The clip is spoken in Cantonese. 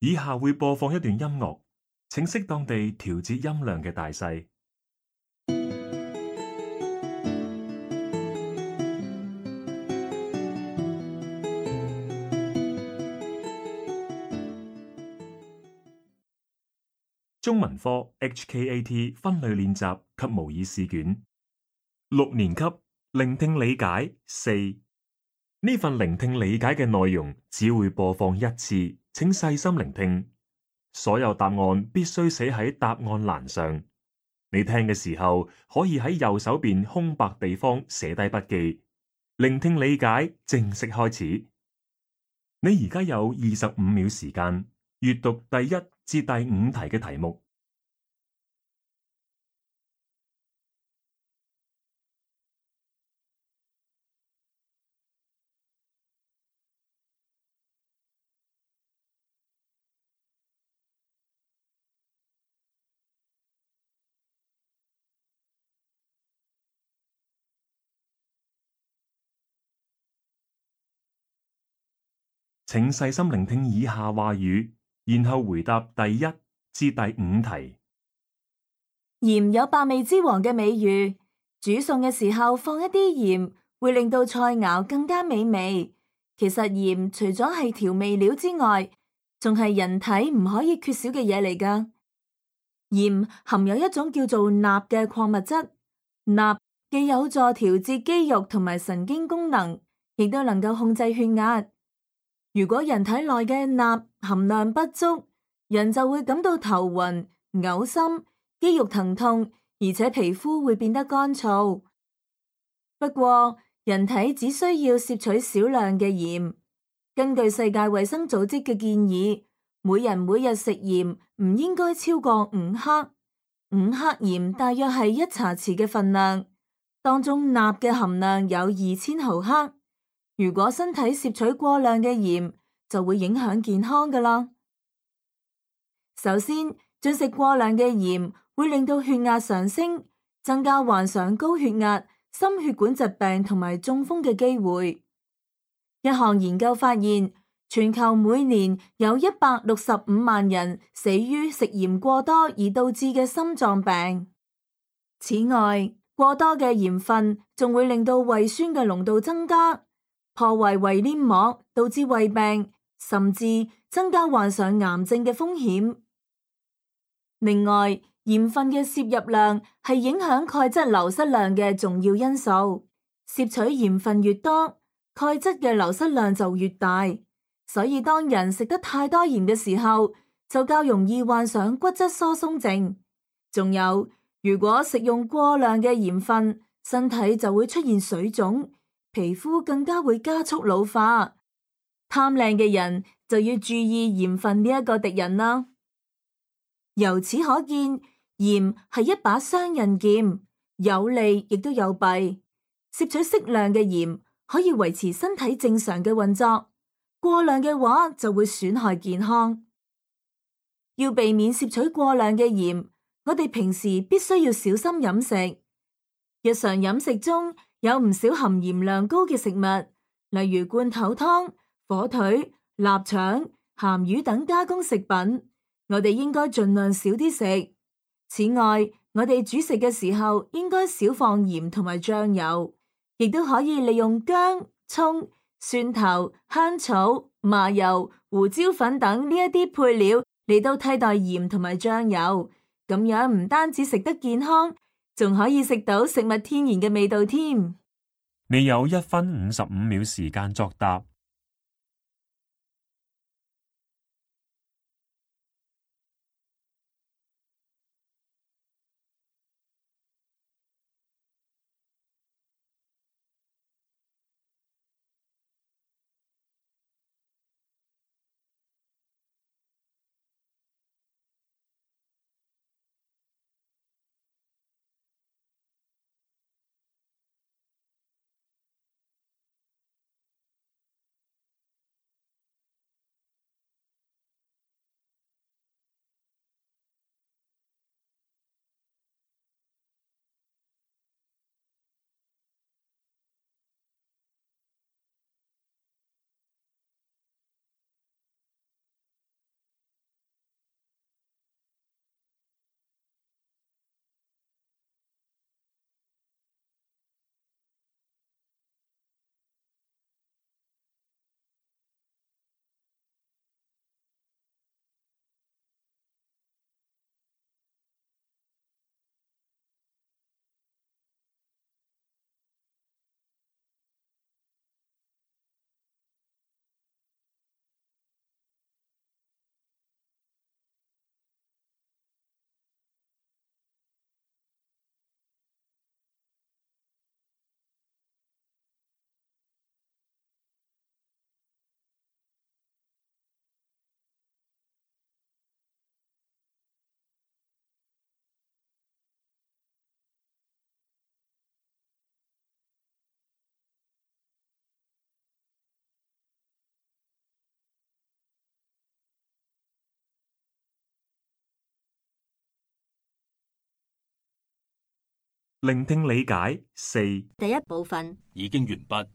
以下會播放一段音樂，請適當地調節音量嘅大細。中文科 HKAT 分類練習及模擬試卷，6年級聆聽理解4。呢份聆聽理解嘅內容只會播放一次，請細心聆聽。所有答案必須寫喺答案欄上。你聽嘅時候可以喺右手邊空白地方寫低筆記。聆聽理解正式開始。你而家有25秒時間閱讀第1至第5題嘅題目。請細心聆聽以下話語，然後回答第1至第5題。鹽有百味之王嘅美譽，煮餸嘅時候放一啲鹽，會令到菜肴更加美味。其實鹽除咗係調味料之外，仲係人體唔可以缺少嘅嘢嚟㗎。鹽含有一種叫做鈉嘅礦物質，鈉既有助調節肌肉同埋神經功能，亦都能夠控制血壓。如果人體內嘅鈉含量不足，人就會感到頭暈、嘔心、肌肉疼痛，而且皮膚會變得乾燥。不過，人體只需要攝取少量嘅鹽。根據世界衛生組織嘅建議，每人每日食鹽唔應該超過5克。5克鹽大約係1茶匙嘅份量，當中鈉嘅含量有2000毫克。如果身體攝取過量嘅鹽，就會影響健康㗎喇。首先，進食過量嘅鹽會令到血壓上升，增加患上高血壓、心血管疾病同埋中風嘅機會。一項研究發現，全球每年有165萬人死於食鹽過多而導致嘅心臟病。此外，過多嘅鹽分仲會令到胃酸嘅濃度增加，破壞胃黏膜，導致胃病，甚至增加患上癌症嘅風險。另外，鹽分嘅攝入量係影響鈣質流失量嘅重要因素。攝取鹽分越多，鈣質嘅流失量就越大。所以當人食得太多鹽嘅時候，就較容易患上骨質疏鬆症。仲有，如果食用過量嘅鹽分，身體就會出現水腫，皮膚更加會加速老化。貪靚嘅人就要注意鹽分呢一個敵人啦。由此可見，鹽係一把雙刃劍，有利亦都有弊。攝取適量嘅鹽可以維持身體正常嘅運作，過量嘅話就會損害健康。要避免攝取過量嘅鹽，我哋平時必須要小心飲食。日常飲食中有唔少含鹽量高嘅食物，例如罐頭湯、火腿、臘腸、鹹魚等加工食品，我哋應該盡量少啲食。此外，我哋煮食嘅時候應該少放鹽同埋醬油，亦都可以利用薑、蔥、蒜頭、香草、麻油、胡椒粉等呢一啲配料嚟到替代鹽同埋醬油。咁樣唔單止食得健康，仲可以食到食物天然嘅味道添。你有1分55秒時間作答。聆聽理解4第一部分已經完畢。